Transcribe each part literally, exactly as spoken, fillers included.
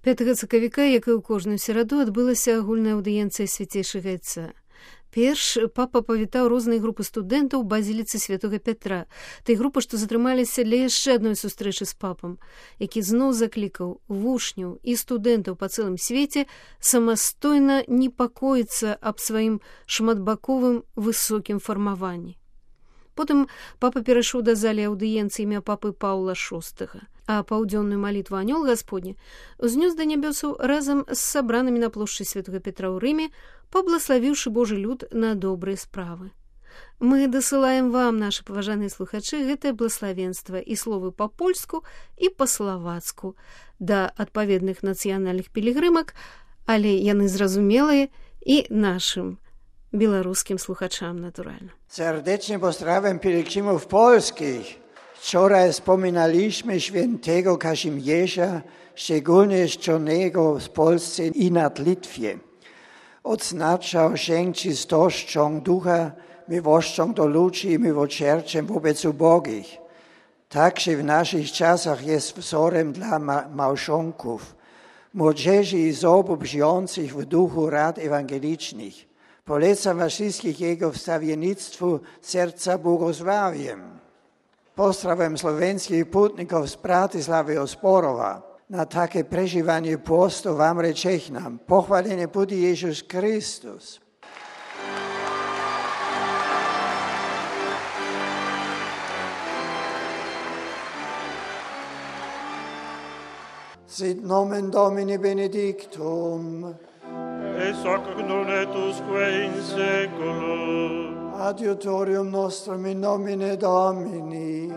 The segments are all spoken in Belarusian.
пятага сакавіка, як і ў кожную сераду, адбылася агульная аўдыенцыя свяцейшага айца. Перш папа павітаў розныя групы студэнтаў у базіліцы святога Пятра, той групы, што затрымаліся для яшчэ адной сустрэчы з папам, які зноў заклікаў вучняў і студэнтаў па цэлым свеце самастойна непакоіцца аб сваім шматбаковым высокім фармаванні. Потым папа перайшоў да залі аўдыенцыі імя папы Паўла шостага, а паўдзённую малітву анёл Гасподні узнёс да нябёсаў разам з сабранымі на плошчы святога Петра ў Рыме, паблагаславіўшы Божы люд на добрыя справы. Мы дасылаем вам, нашы паважаныя слухачы, гэтае блаславенства і словы па-польску і па-славацку да адпаведных нацыянальных пілігрымак, але яны зразумелыя і нашым беларускім слухачам, натуральна. Serdecznie pozdrawiam pielgrzymów polskich. Wczoraj wspominaliśmy świętego Kazimierza, szczególnie czczonego w Polsce i nad Litwie. Odznaczał się czystością ducha, miłością do ludzi i miłosierdziem wobec ubogich. Także w naszych czasach jest wzorem dla ma- małżonków, młodzieży i osób żyjących w duchu rad ewangelicznych. Polecam was wszystkich jego wstawiennictwu serca błogosławiem. Pozdrawiam słowenskich putników z Bratysławy Osporowa. Na takie przeżywanie postu wam rečehnam. Pochwalenie bude Jezus Chrystus. Sit nomen Domini benedictum. Et hoc non et usque in seculum. Adiutorium nostrum in nomine Domini.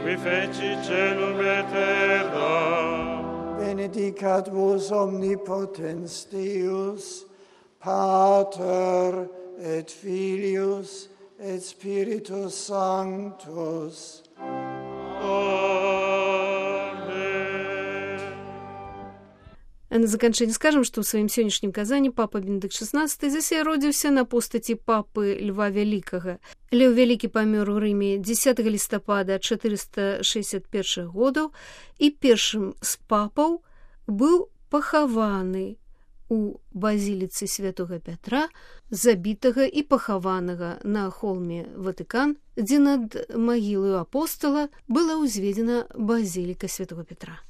Qui feci celum et terra. Benedicat vos omnipotens Deus, Pater et Filius et Spiritus Sanctus. А на заканчэнне скажам, што ў сваім сённяшнім казанні папа Бенедыкт шаснаццаты засяродзіўся на постаці папы Льва Вялікага. Леў Вялікі памёр у Рыме дзесятага лістапада чатырыста шэсцьдзесят першага году і першым з папаў быў пахаваны у базіліцы святога Пятра, забітага і пахаванага на холме Ватыкан, дзе над магілаю апостала была ўзведзена базіліка святога Пятра.